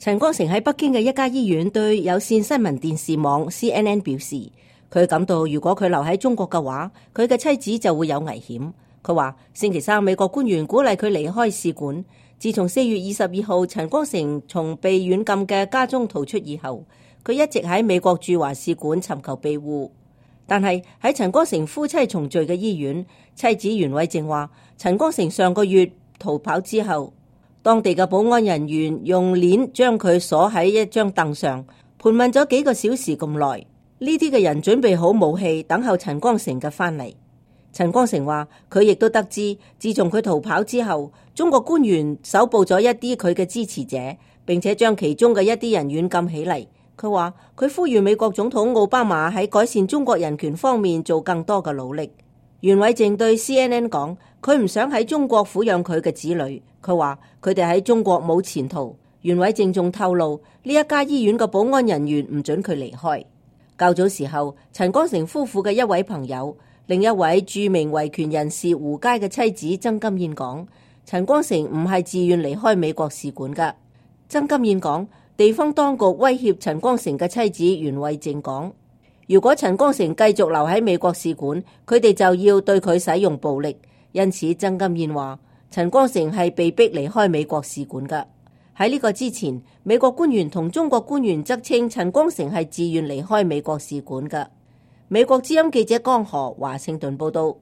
陳光誠喺北京嘅一家醫院對有線新聞電視網 CNN 表示，佢感到如果佢留喺中國嘅話，佢嘅妻子就會有危險。佢話星期三美國官員鼓勵佢離開使館。自從4月22號陳光誠從被軟禁嘅家中逃出以後，佢一直喺美國駐華使館尋求庇護。但係喺陳光誠夫妻重聚嘅醫院，妻子袁偉靜話，陳光誠上個月逃跑之後，當地嘅保安人員用鏈將佢鎖喺一張凳上，盤問咗幾個小時咁耐。呢啲嘅人準備好武器，等候陳光誠嘅翻嚟。陳光誠話，佢亦都得知，自從佢逃跑之後，中國官員搜捕咗一啲佢嘅支持者，並且將其中嘅一啲人軟禁起嚟。佢話佢呼籲美國總統奧巴馬喺改善中國人權方面做更多嘅努力。袁偉靜對 CNN 講，佢唔想喺中國撫養佢嘅子女。佢話佢哋喺中國冇前途。袁偉靜仲透露，呢一家醫院嘅保安人員唔准佢離開。較早時候，陳光誠夫婦嘅一位朋友，另一位著名維權人士胡佳嘅妻子曾金燕講，陳光誠唔係自願離開美國使館㗎。曾金燕講，地方當局威脅陳光誠嘅妻子袁偉靜講，如果陳光誠繼續留喺美國使館，佢哋就要對佢使用暴力。因此曾金燕話，陳光誠係被逼離開美國使館㗎。喺呢個之前，美國官員同中國官員則稱陳光誠係自願離開美國使館㗎。美國之音記者江河華盛頓報道。